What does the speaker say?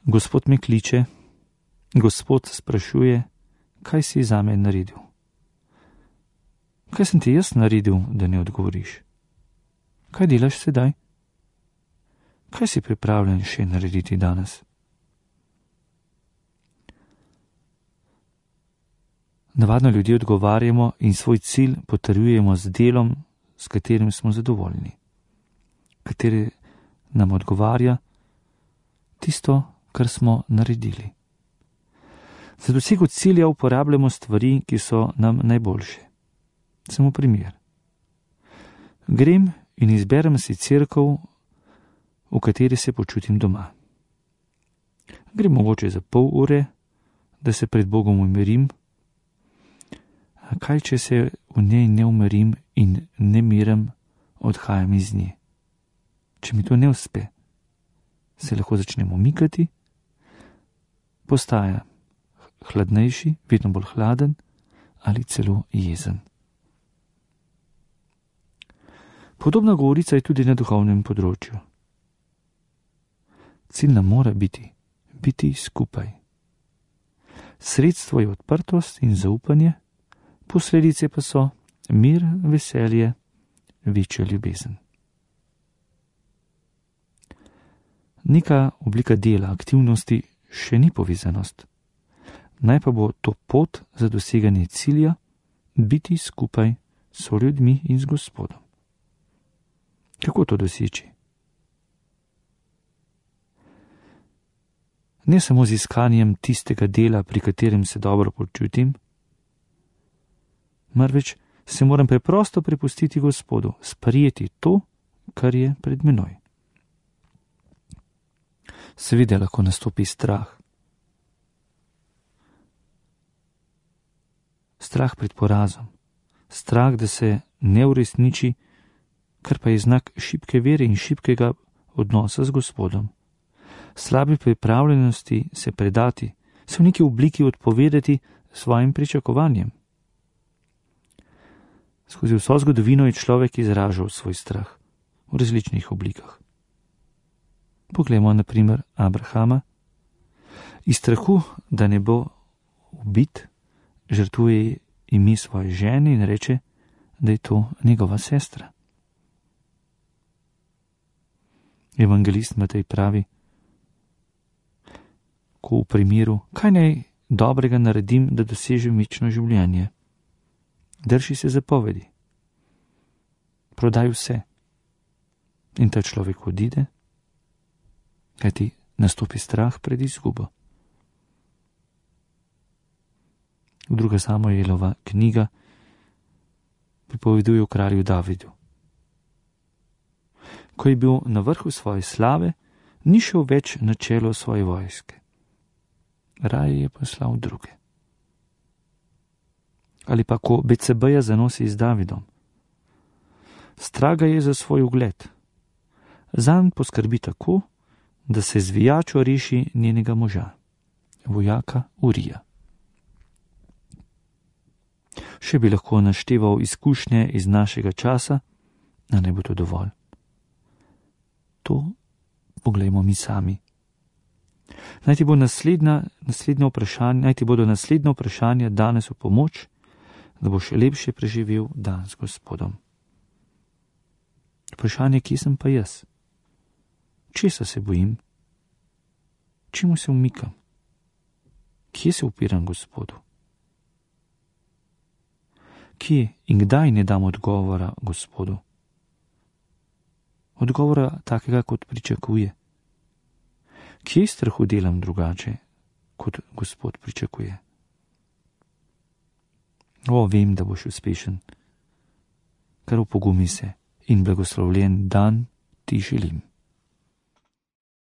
Gospod me kliče, Gospod sprašuje, kaj si zame naredil. Kaj sem ti jaz naredil, da ne odgovoriš? Kaj delaš sedaj? Kaj si pripravljen še narediti danes? Navadno ljudje odgovarjamo in svoj cilj potrjujemo z delom, s katerim smo zadovoljni, kateri nam odgovarja tisto, kar smo naredili. Za dosego cilja uporabljamo stvari, ki so nam najboljše. Samo primer. Grem in izberem si cerkev, v kateri se počutim doma. Grem mogoče za pol ure, da se pred Bogom umirim. Kaj, če se v njej ne umirim in ne miram, odhajam iz nje? Če mi to ne uspe, se lahko začnem umikati, postaja hladnejši, vedno bolj hladen ali celo jezen. Podobna govorica je tudi na duhovnem področju. Cilj nam mora biti skupaj. Sredstvo je odprtost in zaupanje, posledice pa so mir, veselje, večja ljubezen. Neka oblika dela, aktivnosti še ni povezanost. Naj pa bo to pot za doseganje cilja, biti skupaj s ljudmi in z Gospodom. Kako to doseči? Ne samo z iskanjem tistega dela, pri katerem se dobro počutim, marveč se moram preprosto prepustiti Gospodu, sprejeti to, kar je pred menoj. Seveda lahko nastopi strah. Strah pred porazom. Strah, da se ne uresniči, kar pa je znak šibke vere in šibkega odnosa z Gospodom. Slabe pripravljenosti se predati, se v neki obliki odpovedati svojim pričakovanjem. Skozi vso zgodovino je človek izražal svoj strah v različnih oblikah. Poglejmo na primer Abrahama. Iz strahu, da ne bo ubit, žrtvuje ime svoje žene in reče, da je to njegova sestra. Evangelist Matej pravi, ko v primeru, kaj naj dobrega naredim, da dosežem večno življenje. Drži se zapovedi. Prodaj vse. In ta človek odide, kajti nastopi strah pred izgubo. Druga Samuelova knjiga pripoveduje o kralju Davidu. Ko je bil na vrhu svoje slave, ni šel več na čelo svoje vojske. Raje je poslal druge. Ali pa ko Becebeja zanosi z Davidom. Straga je za svoj ugled. Zanj poskrbi tako, da se zvijačo reši njenega moža, vojaka Urija. Še bi lahko našteval izkušnje iz našega časa, a ne bo to dovolj. To poglejmo mi sami. Naj ti bodo naslednja vprašanja danes v pomoč, da boš lepše preživel dan s Gospodom. Vprašanje, kje sem pa jaz? Česa se bojim? Čemu se umikam? Kje se upiram Gospodu? Kje in kdaj ne dam odgovora Gospodu? Odgovora takega, kot pričakuje. Kje strahu delam drugače, kot Gospod pričakuje? Vem, da boš uspešen. Kar opogumi se in blagoslovljen dan ti želim.